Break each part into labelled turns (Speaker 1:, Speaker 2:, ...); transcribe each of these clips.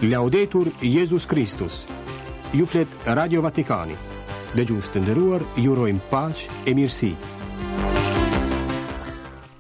Speaker 1: Laudetur Jezus Kristus. Ju flet Radio Vatikani. Dëgjues të nderuar, ju urojmë paqe e mirësi.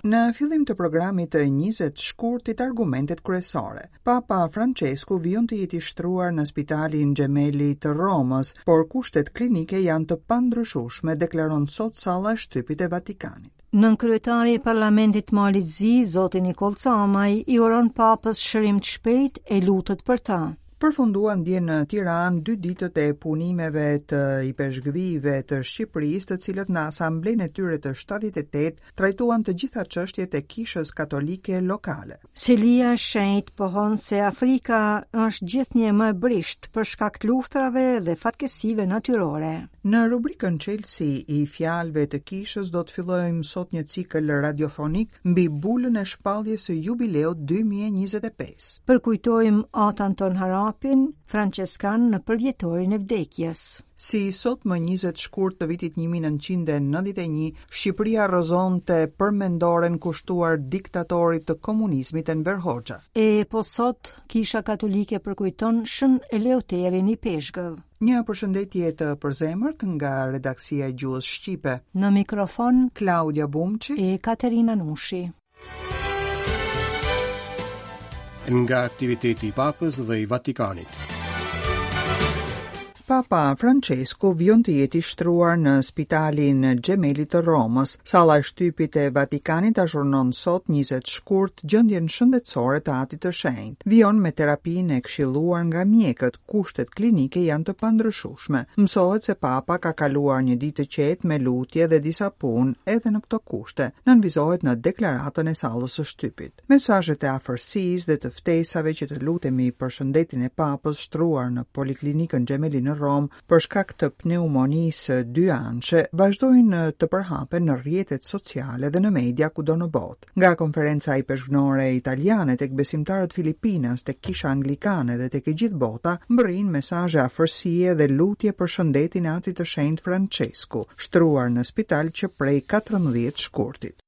Speaker 2: Në fillim të programit të 20 shkurtit argumentet kryesore, Papa Francesku vijon të jetë i shtruar në spitalin Gemelli të Romës, por kushtet klinike janë të pandryshueshme, deklaron sot salla e shtypit e Vatikanit.
Speaker 3: Nënkryetari i Parlamentit të Malit Zi, zoti Nikoll Camaj, i uron Papës shërim të shpejtë e lutet për
Speaker 2: të. Përfunduan dje në Tiranë dy ditët e punimeve të ipeshkvijve të Shqipërisë, të cilët në asamblenë e tyre të 78 trajtuan të gjitha çështjet e Kishës Katolike lokale.
Speaker 3: Selia e Shenjtë pohon se Afrika është gjithnjë e më e brishtë për shkak të luftërave dhe fatkeqësive natyrore.
Speaker 2: Në rubrikën Çelësi i fjalëve të Kishës do të fillojmë sot një cikël radiofonik mbi bulën e shpalljes së jubileut 2025.
Speaker 3: Përkujtojmë At Anton Harapin, françeskan në përvjetorin e vdekjes.
Speaker 2: Si sot më 20 shkurt të vitit 1991, Shqipëria rrëzonte përmendoren kushtuar diktatorit të komunizmit Enver Hoxha.
Speaker 3: E po sot, Kisha Katolike përkujton Shën Eleuterin Ipeshkëv.
Speaker 2: Një përshëndetje të përzemërt nga redaksia e Gjuhës Shqipe.
Speaker 3: Në mikrofon
Speaker 2: Klaudia Bumçi
Speaker 3: e Katerina Nushi.
Speaker 1: Nga aktiviteti i Papës dhe i Vatikanit.
Speaker 2: Papa Francesku vijon të jetë i shtruar në spitalin Gemelli të Romës. Salla e shtypit e Vatikanit azhurnon sot 20 shkurt gjendjen shëndetësore të Atit të Shenjtë. Vijon me terapinë e këshilluar nga mjekët, kushtet klinike janë të pandryshueshme. Mësohet se Papa ka kaluar një ditë të qetë me lutje dhe disa punë edhe në këto kushte, nënvizohet në deklaratën e sallës së shtypit. Mesazhet e afërsisë dhe të ftesave që të lutemi për shëndetin e Papës shtruar në Poliklinikën Gemelli në Romë për shkak të pneumonisë dyanëshe vazhdojnë të përhapen në rrjetet sociale dhe në media kudo në botë. Nga Konferenca Ipeshkvnore Italiane tek besimtarët filipinas, tek Kisha Anglikane dhe tek e gjithë bota mbërrijnë mesazhe afërsie dhe lutje për shëndetin e Atit të Shenjtë Françesku, shtruar në spital që prej 14 shkurtit.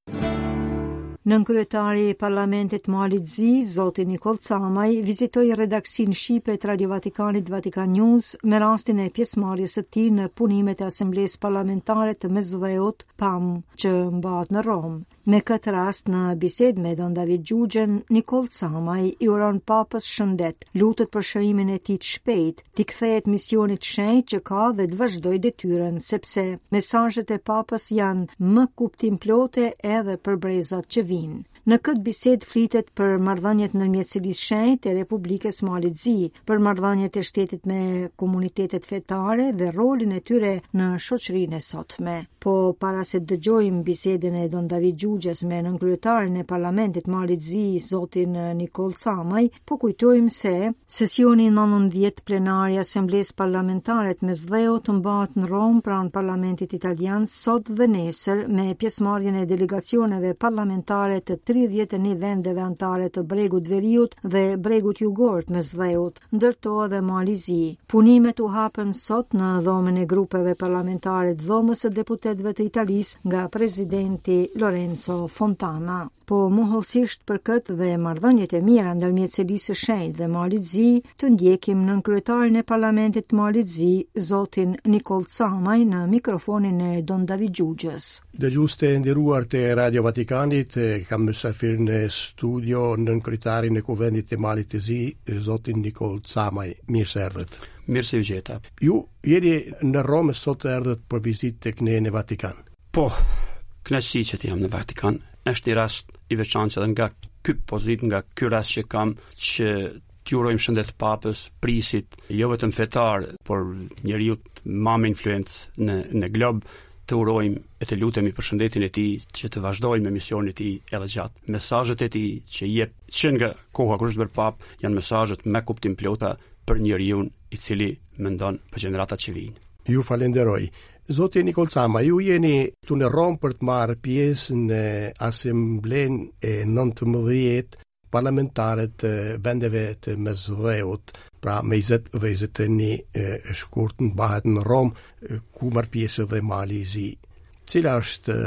Speaker 3: Nënkryetari i Parlamentit të Malit Zi, zoti Nikoll Camaj, vizitoi redaksinë shqipe të Radio Vatikanit Vatikan News me rastin e pjesëmarrjes së tij në punimet e Asamblesë Parlamentare të Mesdheut, PAM, që mbahet në Romë. Me këtë rast në bisedë me Don David Xhuxhën, Nikoll Camaj i uron Papës shëndet, lutet për shërimin e tij të shpejtë, t'i kthehet misionit të shenjtë që ka dhe të vazhdojë detyrën, sepse mesazhet e Papës janë më kuptimplote edhe për brezat që vijnë. Në këtë bisedë flitet për marrëdhëniet ndërmjet Selisë së Shenjtë e Republikës së Malit Zi, për marrëdhëniet e shtetit me komunitetet fetare dhe rolin e tyre në shoqërinë e sotme. Po para se të dëgjojmë bisedën e Don David Xhuxhës me nënkryetarin e Parlamentit të Malit Zi, zotin Nikoll Camaj, po kujtojmë se Sesioni i 19 plenar i Asamblesë Parlamentare të Mesdheut mbahet në Romë pranë Parlamentit Italian sot dhe nesër me pjesëmarrjen e delegacioneve parlamentare të 31 vendeve anëtare të Bregut të Veriut dhe Bregut Jugor të Mesdheut, ndër to edhe Mali i Zi. Punimet u hapën sot në dhomën e grupeve parlamentare të Dhomës së Deputetëve të Italisë nga presidenti Lorenzo Fontana. Po më hollësisht për këtë dhe marrëdhëniet e mira ndërmjet Selisë së Shenjtë dhe Malit Zi, të ndjekim nënkryetarin e Parlamentit të Malit Zi, zotin Nikoll Camaj në mikrofonin e Don David
Speaker 1: Xhuxhës. Dëgjues të nderuar të Radio Vatikanit, kam mysafir në studio nënkryetarin e Kuvendit të Malit të Zi, zotin Nikoll Camaj. Mirë se
Speaker 4: erdhët. Mirë se ju gjeta.
Speaker 1: Ju jeni në Romë sot erdhët për vizitë tek ne në Vatikan.
Speaker 4: Po, kënaqësi që të jam në Vatikan. Është një rast i veçantë edhe nga ky pozitë, nga ky rast që kam që t'i urojmë shëndet papës, prijësit, jo vetëm fetar, por njeriut ma me influencë në në glob, të urojmë e të lutemi për shëndetin e tij që të vazhdojë me misionin e tij edhe gjatë. Mesazhet e tij që jep që nga koha kur është bërë papë janë mesazhet me kuptimplota për njeriun i cili mendon për gjeneratat që
Speaker 1: vijnë. Ju falenderoj. Zoti Nikoll Camaj, ju jeni këtu në Romë për të marrë pjesë në Asamblenë e 19 parlamentare të vendeve të Mesdheut, pra me 20 dhe 21 shkurt mbahet në Romë, ku merr pjesë edhe Mali i Zi. Cila është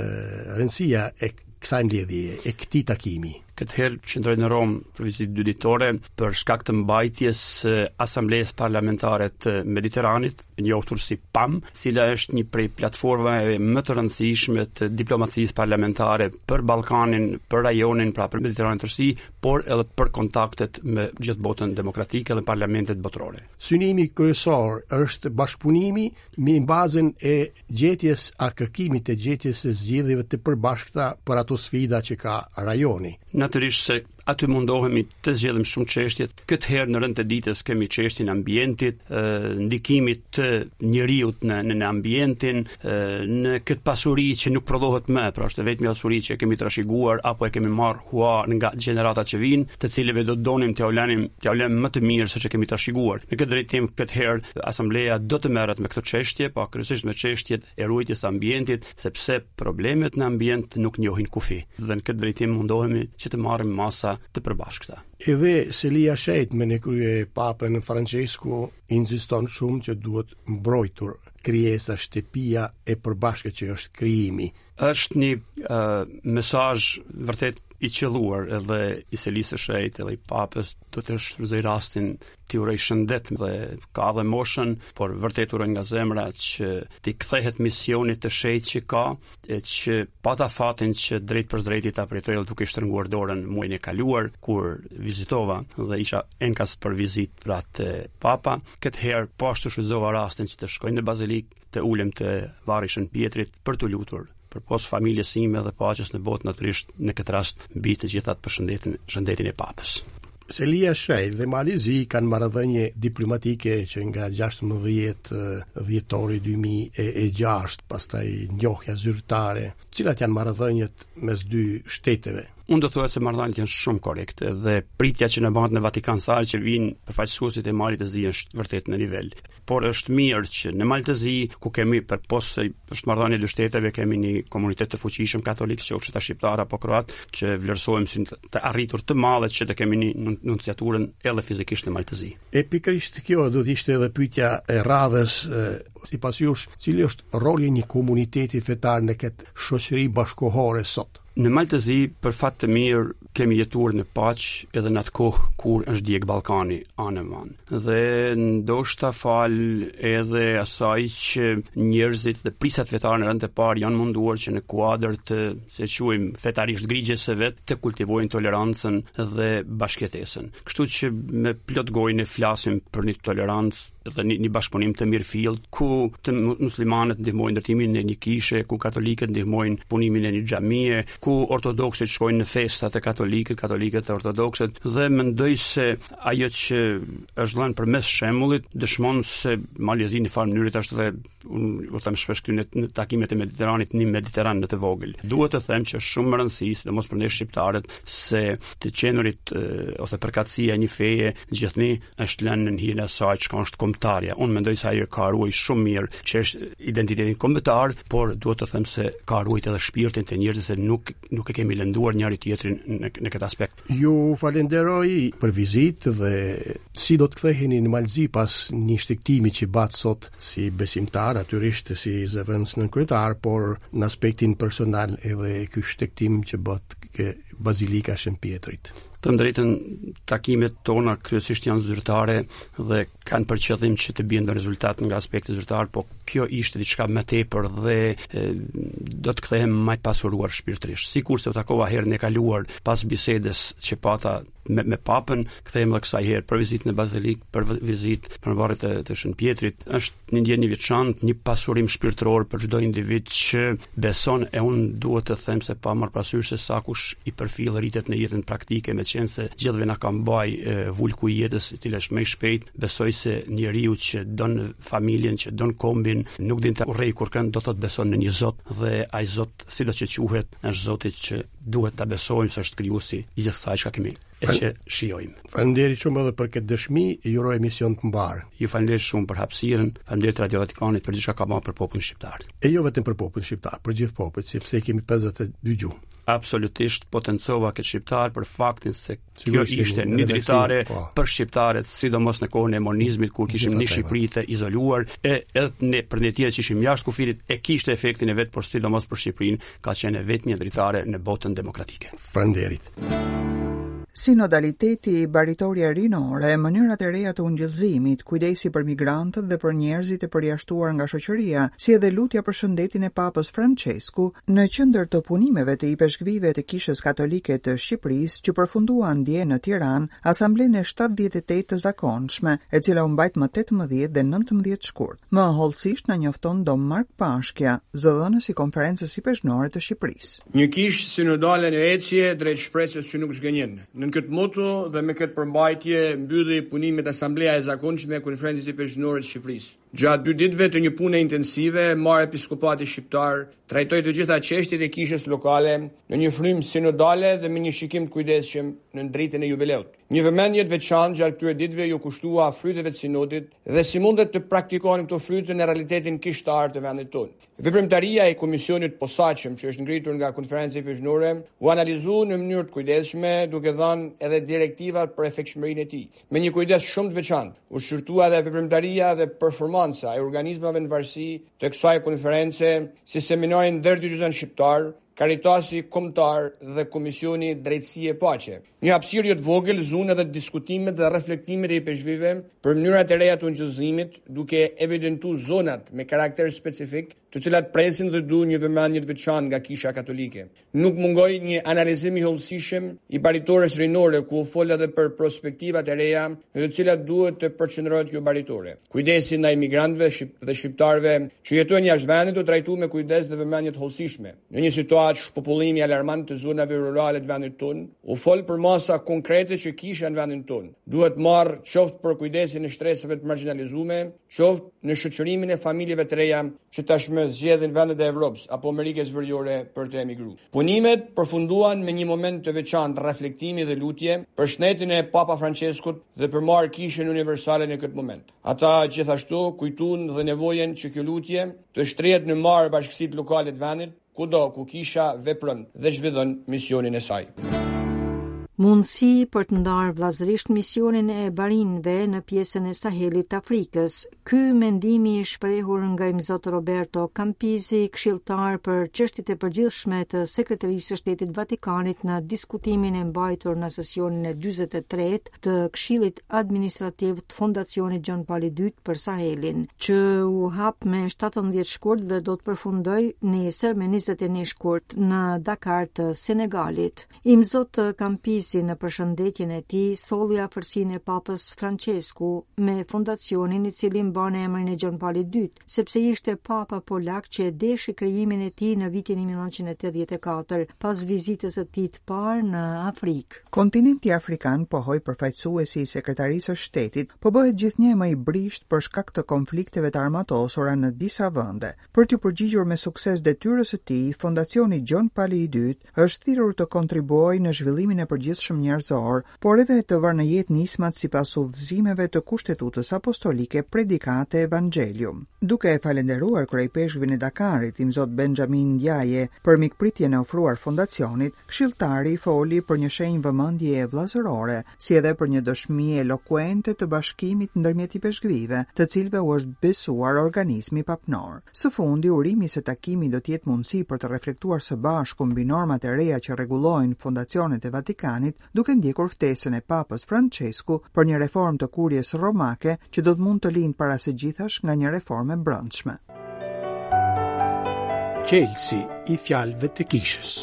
Speaker 1: rëndësia e kësaj mbledhjeje, e këtij takimi?
Speaker 4: Këtë herë qëndroj në Romë për vizitë dy ditore për shkak të mbajtjes së Asamblesë Parlamentare të Mediteranit, njohur si PAM, cila është një prej platformave më të rëndësishme të diplomacisë parlamentare për Ballkanin, për rajonin, pra për Mediteranin tërësi, por edhe për kontaktet me gjithë botën demokratike dhe parlamentet botërore.
Speaker 1: Synimi kryesor është bashkëpunimi mbi bazën e gjetjes a kërkimit të gjetjes së zgjidhjeve të përbashkëta për ato sfida që ka rajoni.
Speaker 4: Natyrisht se aty mundohemi të zgjedhim shumë çështje. Këtë herë në rend të ditës kemi çështjen e ambientit, ndikimit të njeriut në në, në ambientin, në këtë pasuri që nuk prodhohet më, pra është e vetmja pasuri që kemi trashëguar apo e kemi marrë hua nga gjeneratat që vijnë, të cilëve do të donim t'jua lënim, t'jua lëmë më të mirë se që kemi trashëguar. Në këtë drejtim këtë herë asambleja do të merret me këto çështje, pa kryesisht me çështjet e ruajtjes së ambientit, sepse problemet në ambient nuk njohin kufi. Dhe në këtë drejtim mundohemi që të marrim masa të përbashkëta.
Speaker 1: Edhe Selia e Shenjtë me në krye Papën Francesku insiston shumë që duhet mbrojtur krijesa shtëpia e përbashkët që është krijimi.
Speaker 4: Është një uh, mesazh vërtet i qëlluar edhe i Selisë së Shenjtë edhe i Papës, do të shfrytëzoj rastin t'i uroj shëndet dhe ka dhe moshën, por vërtet uroj nga zemra që t'i kthehet misionit të shenjtë që ka, e që pata fatin që drejtpërsëdrejti ta përjetoj edhe duke i shtrënguar dorën muajin e kaluar kur vizitova dhe isha enkas për vizitë pra te Papa. Këtë herë po ashtu shfrytëzova rastin që të shkoj në bazilikë të ulem te varri i Shën Pjetrit për t'u lutur përpos familjes sime dhe paqes në botë natyrisht në këtë rast mbi të gjitha për shëndetin shëndetin e papës.
Speaker 1: Selia e Shenjtë dhe Mali i Zi kanë marrëdhënie diplomatike që nga 16 dhjetori 2006, pastaj njohja zyrtare. Cilat janë marrëdhëniet mes dy shteteve?
Speaker 4: Unë do thoja se marrëdhëniet janë shumë korrekte dhe pritja që na bëhet në Vatikan sa herë që vijnë përfaqësuesit e Malit të Zi është vërtet në nivel. Por është mirë që në Mal të Zi, ku kemi përpos se është marrëdhënie dy shteteve, kemi një komunitet të fuqishëm katolik, qoftë ata shqiptar apo kroat, që vlerësojmë si të arritur të madhe që të kemi një nunciaturën edhe fizikisht në Mal të
Speaker 1: Zi. E pikërisht kjo do të ishte edhe pyetja e radhës, sipas jush, cili është roli i një komuniteti fetar në këtë shoqëri bashkëkohore sot?
Speaker 4: Në Mal të Zi, për fat të mirë, kemi jetuar në paqe edhe në atë kohë kur është djeg Ballkani anembanë. Dhe ndoshta falë edhe asaj që njerëzit dhe prijësat fetarë në rend të parë janë munduar që në kuadër të, si e quajmë, fetarisht grigjes së vet, të kultivojnë tolerancën dhe bashkëjetesën. Kështu që me plot gojë ne flasim për një tolerancë dhe një, një bashkëpunim të mirëfilltë ku të muslimanët ndihmojnë ndërtimin e një kishe, ku katolikët ndihmojnë punimin e një xhamie, ku ortodoksët shkojnë në festa te katolikët, katolikët te ortodoksët dhe mendoj se ajo që është dhënë përmes shembullit dëshmon se Mali i Zi në farë mënyre është dhe unë u them shpesh këtu në, në takimet e Mediteranit, një Mediteran në të vogël. Duhet të them që është shumë me rëndësi, sidomos për ne shqiptarët, se të qenurit ose përkatësia e një feje gjithnjë është lënë në hijen e asaj çka është kombëtarja. Unë mendoj se ajo ka ruajt shumë mirë që është identitetin kombëtar, por duhet të them se ka ruajt edhe shpirtin te njerëzit se nuk nuk e kemi lënduar njëri tjetrin në, në këtë aspekt.
Speaker 1: Ju falenderoj për vizitë dhe si do të ktheheni në Mal të Zi pas një shtegtimi që bëtë sot si besimtar, natyrisht si zëvendës nënkryetar, por në aspektin personal edhe ky shtegtim që bëtë ke Bazilika e Shën Pjetrit.
Speaker 4: Të drejtën, takimet tona kryesisht janë zyrtare dhe kanë për qëllim që të bien në rezultat nga aspekti zyrtar, po kjo ishte diçka më tepër dhe e, do të kthehem më i pasuruar shpirtërisht. Sikurse u takova herën e kaluar pas bisedës që pata me, me papën, kthehem edhe kësaj herë për vizitë në bazilikë, për vizitë për varret e të Shën Pjetrit. Është një ndjenjë e veçantë, një pasurim shpirtëror për çdo individ që beson e unë duhet të them se pa marrë parasysh se sa kush i përfill ritet në jetën praktike, meqenëse gjithëve na ka mbaj vulku i jetës, i cili është më i shpejtë, besoj se njeriu që don familjen, që don kombin, nuk din të urrejë kurrkënd, do të thotë beson në një Zot dhe ai Zot sido që quhet, është Zoti që duhet ta besojmë se është krijuesi i gjithë kësaj çka kemi e që shijojmë.
Speaker 1: Faleminderit shumë edhe për këtë dëshmi, ju uroj emision të mbarë.
Speaker 4: Ju faleminderit shumë për hapësirën, faleminderit Radio Vatikanit për gjithçka ka bërë për popullin shqiptar.
Speaker 1: E jo vetëm për popullin shqiptar, për gjithë popujt, sepse kemi 52 gjuhë.
Speaker 4: Absolutisht potencova këtë shqiptar për faktin se Kjo ishte një dritare po. për shqiptarët, sidomos në kohën e monizmit kur kishim një Shqipëri të izoluar e edhe ne për ne tjerë që ishim jashtë kufirit e kishte efektin e vet, por sidomos për Shqipërinë ka qenë e vetmja dritare në botën demokratike.
Speaker 1: Faleminderit.
Speaker 2: Sinodaliteti, baritorja rinore, mënyrat e reja të ungjillëzimit, kujdesi për migrantët dhe për njerëzit e përjashtuar nga shoqëria, si edhe lutja për shëndetin e Papës Françesku, në qendër të punimeve të ipeshkvijve të Kishës Katolike të Shqipërisë që përfunduan dje në Tiranë Asamblenë e 78 të zakonshme, e cila u mbajt më 18 dhe 19 shkurt. Më hollësisht na njofton Dom Mark Pashkja, zëdhënës i Konferencës Ipeshkvnore të Shqipërisë.
Speaker 5: Një kishë sinodale në ecje drejt shpresës që nuk zhgënjen. Nën këtë moto dhe me këtë përmbajtje mbylli punimet Asambleja e Zakonshme e Konferencës Ipeshkvnore të Shqipërisë. Gjatë dy ditëve të një pune intensive, mbarë episkopati shqiptar trajtoi të gjitha çështjet e kishës lokale në një frymë sinodale dhe me një shikim të kujdesshëm nën dritën e jubileut. Një vëmendje të veçantë gjatë këtyre ditëve iu kushtua fryteve të sinodit dhe si mundet të praktikohen këto fryte në realitetin kishtar të vendit tonë. Veprimtaria e Komisionit të Posaçëm që është ngritur nga Konferenca Ipeshkvnore u analizu në mënyrë të kujdesshme duke dhënë edhe direktivat për efektshmërinë e tij. Me një kujdes shumë të veçantë u shqyrtua edhe veprimtaria dhe performanca e organizmave në varësi të kësaj konference si Seminari Ndërdioqezan Shqiptar, Karitasi Kombëtar dhe Komisioni Drejtësi e Paqe. Një hapësirë jo të vogël zunë edhe diskutimet dhe reflektimet e ipeshkvijve për mënyrat e reja të ungjillëzimit, duke evidentu zonat me karakter specifik, të cilat presin dhe duan një vëmendje të veçantë nga Kisha Katolike. Nuk mungoi një analizim i hollësishëm i baritores rinore ku u fol edhe për prospektivat e reja në të cilat duhet të përqendrohet kjo baritore. Kujdesi ndaj migrantëve dhe shqiptarëve që jetojnë jashtë vendit u trajtu me kujdes dhe vëmendje të hollësishme. Në një situatë shpopullimi alarmant të zonave rurale të vendit tonë, u fol për masa konkrete që kisha në vendin tonë duhet marrë qoftë për kujdesin e shtresave të margjinalizume, qoftë në shoqërimin e familjeve të reja që tashmë zgjedhin vendet e Evropës apo Amerikës Veriore për të emigru. Punimet përfunduan me një moment të veçantë reflektimi dhe lutje për shëndetin e Papa Françeskut dhe për mbarë Kishën Universale në këtë moment. Ata gjithashtu kujtuan dhe nevojën që kjo lutje të shtrihet në mbarë bashkësitë lokale të vendit, kudo ku kisha vepron dhe zhvillon misionin e saj.
Speaker 3: Mundësi për të ndarë vëllazërisht misionin e barinjve në pjesën e Sahelit të Afrikës. Ky mendimi i shprehur nga Imzot Roberto Campisi, këshilltar për çështjet e përgjithshme të Sekretarisë së Shtetit të Vatikanit në diskutimin e mbajtur në sesionin e 43 të Këshillit Administrativ të Fondacionit Gjon Pali II për Sahelin, që u hap me 17 shkurt dhe do të përfundojë nesër me 21 shkurt në Dakar të Senegalit. Imzot Campisi në përshëndetjen e tij solli afërsinë e Papës Francesku me fondacionin i cili mban emrin e Gjon Palit II, sepse ishte Papa polak që e deshi krijimin e tij në vitin 1984, pas vizitës së tij të parë në Afrikë.
Speaker 2: Kontinenti afrikan, pohoi përfaqësuesi i Sekretarisë së Shtetit, po bëhet gjithnjë e më i brishtë për shkak të konflikteve të armatosura në disa vende. Për t'iu përgjigjur me sukses detyrës së tij, Fondacioni Gjon Pali i Dytë është thirrur të kontribuojë në zhvillimin e përgjithshëm njerëzor, por edhe të vërë në jetë nismat sipas udhëzimeve të Kushtetutës Apostolike Predicate Evangelium. Duke e falënderuar kryeipeshkvin e Dakarit, Imzot Benjamin Ndiaye, për mikpritjen e ofruar fondacionit, këshilltari foli për një shenjë vëmendjeje vëllazërore, si edhe për një dëshmi elokuente të bashkimit ndërmjet ipeshkvijve, të cilëve u është besuar organizmi papnor. Së fundi, urimi se takimi do të jetë mundësi për të reflektuar së bashku mbi normat e reja që rregullojnë fondacionet e Vatikanit, duke ndjekur ftesën e Papës Françesku për një reformë të Kuries Romake që do të mund të lindë para së gjithash nga një reformë e brendshme.
Speaker 1: Çelësi i fjalëve të kishës.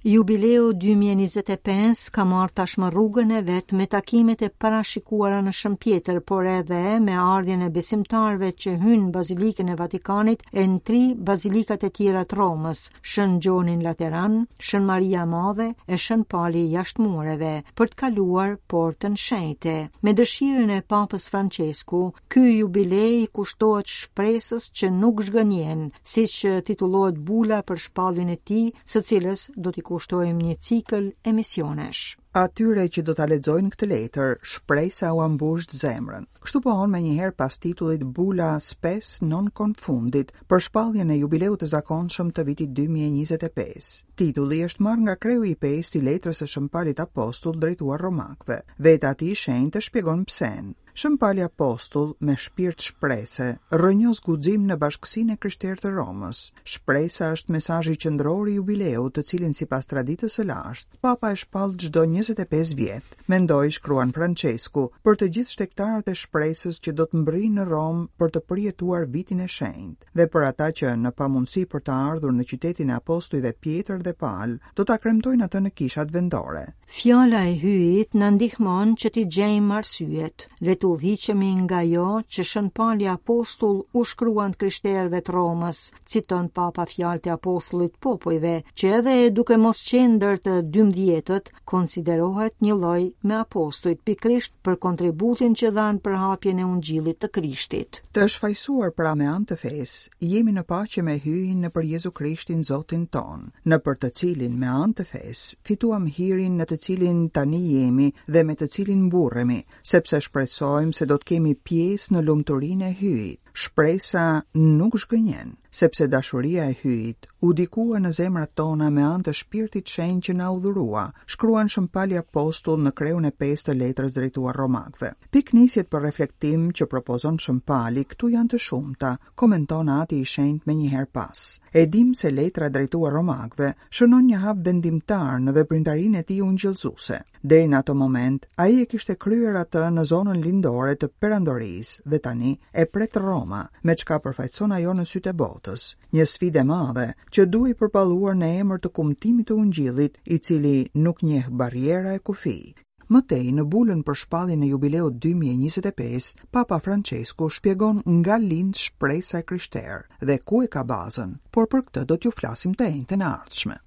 Speaker 3: Jubileu 2025 ka marrë tashmë rrugën e vet me takimet e parashikuara në Shën Pjetër, por edhe me ardhjen e besimtarëve që hynë në Bazilikën e Vatikanit e në tri bazilikat e tjera të Romës, Shën Gjonin Lateran, Shën Maria e Madhe e Shën Pali jashtë mureve, për të kaluar Portën Shenjte. Me dëshirën e Papës Françesku, Ky jubile i kushtohet shpresës që nuk zhgënjen, siç titullohet bula për shpalljen e tij, së cilës do t'i kushtojmë një cikël emisionesh.
Speaker 2: Atyre që do ta lexojnë këtë letër, shpresa ua mbush zemrën. Kështu pohon menjëherë pas titullit Bula Spes non confundit për shpalljen e jubileut të zakonshëm të vitit 2025. Titulli është marrë nga kreu i pestë i letrës së Shën Palit Apostull drejtuar romakëve. Vetë Ati i Shenjtë shpjegon psenë. Shën Pali Apostull, me shpirt shprese, rrënjos guxim në bashkësinë e krishterë të Romës. Shpresa është mesazhi qendror i jubileut, të cilin sipas traditës së lashtë, Papa e shpall çdo 25 vjet. Mendoj, shkruan Françesku, për të gjithë shtegtarët e shpresës që do të mbërrijnë në Romë për të përjetuar vitin e shenjtë dhe për ata që, në pamundësi për të ardhur në qytetin e apostujve Pjetër dhe Pal, do ta kremtojnë atë në kishat vendore.
Speaker 3: Fjala e Hyjit na ndihmon që t'i gjejmë arsyet. Le të udhëhiqemi nga ajo që Shën Pali Apostull u shkruan të krishterëve të Romës, citon Papa fjalët e apostullit të popujve, që edhe duke mos qenë ndër të dymbëdhjetët, konsiderohet njëlloj me apostujt pikërisht për kontributin që dha në përhapjen e Ungjillit të
Speaker 2: Krishtit. Të shfajësuar pra me anë të fesë, jemi në paqe me Hyjin nëpër Jezu Krishtin Zotin tonë, nëpër të cilin me anë të fesë fituam hirin në të cilin tani jemi dhe me të cilin mburremi, sepse shpresojmë se do të kemi pjesë në lumturinë e Hyjit. Shpresa nuk zhgënjen, sepse dashuria e Hyjit u dikua në zemrat tona me anë të Shpirtit Shenjt që na u dhurua, shkruan Shën Pali Apostull në kreun e pestë të letrës drejtuar Romakëve. Pikënisjet për reflektim që propozon Shën Pali këtu janë të shumta, komenton Ati i Shenjtë menjëherë pas. E dimë se letra drejtuar Romakëve shënon një hap vendimtar në veprimtarinë e tij ungjillëzuese. Deri në atë moment, ai e kishte kryer atë në zonën lindore të perandorisë dhe tani e pret Roma, me çka përfaqëson ajo në sytë e botës. Një sfidë e madhe që duhej përballuar në emër të kumtimit të ungjillit, i cili nuk njeh barriera e kufij. Më tej, në bulën për shpalljen e jubileut 2025, Papa Françesku shpjegon nga lind shpresa e krishterë dhe ku e ka bazën, por për këtë do t'ju flasim të enjten e
Speaker 3: ardhshme.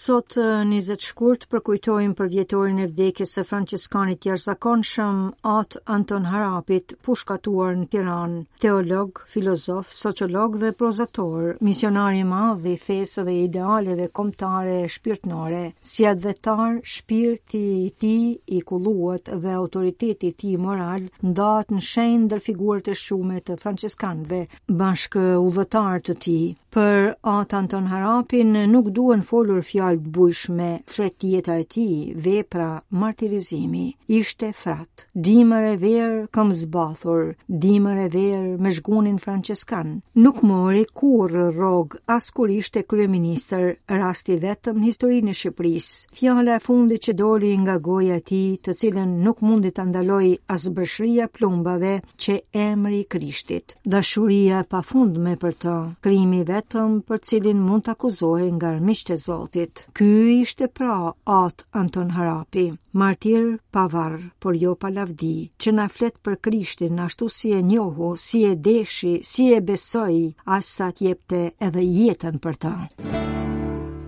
Speaker 3: Sot 20 shkurt përkujtojmë përvjetorin e vdekjes së françeskanit të jashtëzakonshëm At Anton Harapit, pushkatuar në Tiranë, teolog, filozof, sociolog dhe prozator, misionar i madh i fesë dhe idealeve kombëtare e shpirtnore. Si atdhetar, shpirti i tij i kulluar dhe autoriteti i tij moral ndahet në shenjë ndër figurat e shquara të françeskanëve, bashkëudhëtarë të tij. Për At Anton Harapin nuk duhen folur fjalë të bujshme, flet jeta e tij, vepra, martirizimi. Ishte frat, dimër e verë këmbëzbathur, dimër e verë me zhgunin françeskan. Nuk mori kurrë rrogë as kur ishte kryeministër, rast i vetëm në historinë e Shqipërisë. Fjala e fundit që doli nga goja e tij, të cilën nuk mundi ta ndalojë as breshëria e plumbave, qe emri i Krishtit. Dashuria e pafundme për të, krimi i vetëm për cilin mund të akuzohej nga armiqtë e Zotit. Ky ishte pra At Anton Harapi, martir pa varr, por jo pa lavdi, që na flet për Krishtin ashtu si e njohu, si e deshi, si e besoi, aq sa të jepte edhe jetën për
Speaker 2: të.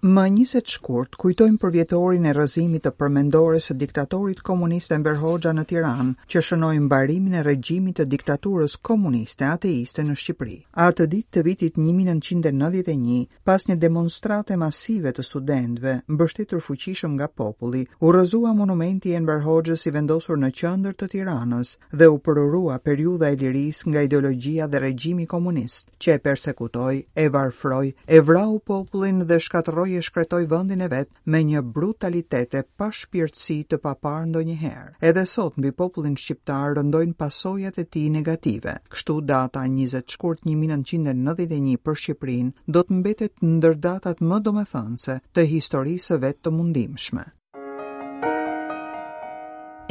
Speaker 2: Më 20 shkurt kujtojmë përvjetorin e rrëzimit të përmendores së diktatorit komunist Enver Hoxha në Tiranë, që shënoi mbarimin e regjimit të diktaturës komuniste ateiste në Shqipëri. Atë ditë të vitit 1991, pas një demonstrate masive të studentëve, mbështetur fuqishëm nga populli, u rrëzua monumenti i Enver Hoxhës i vendosur në qendër të Tiranës dhe u përurua periudha e lirisë nga ideologjia dhe regjimi komunist, që e persekutoi, e varfroi, e vrau popullin dhe shkatërroi e shkretoi vendin e vet me një brutalitet e pashpirtësi të paparë ndonjëherë. Edhe sot mbi popullin shqiptar rëndojnë pasojat e tij negative. Kështu data 20 shkurt 1991 për Shqipërinë do të mbetet ndër datat më domethënëse të historisë së vet të mundimshme.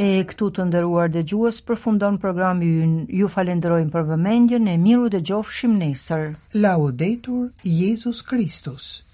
Speaker 3: E këtu të nderuar dëgjues përfundon programi ynë. Ju falenderojmë për vëmendjen e mirudëgjofshim nesër.
Speaker 2: Laudetur Jezus Kristus.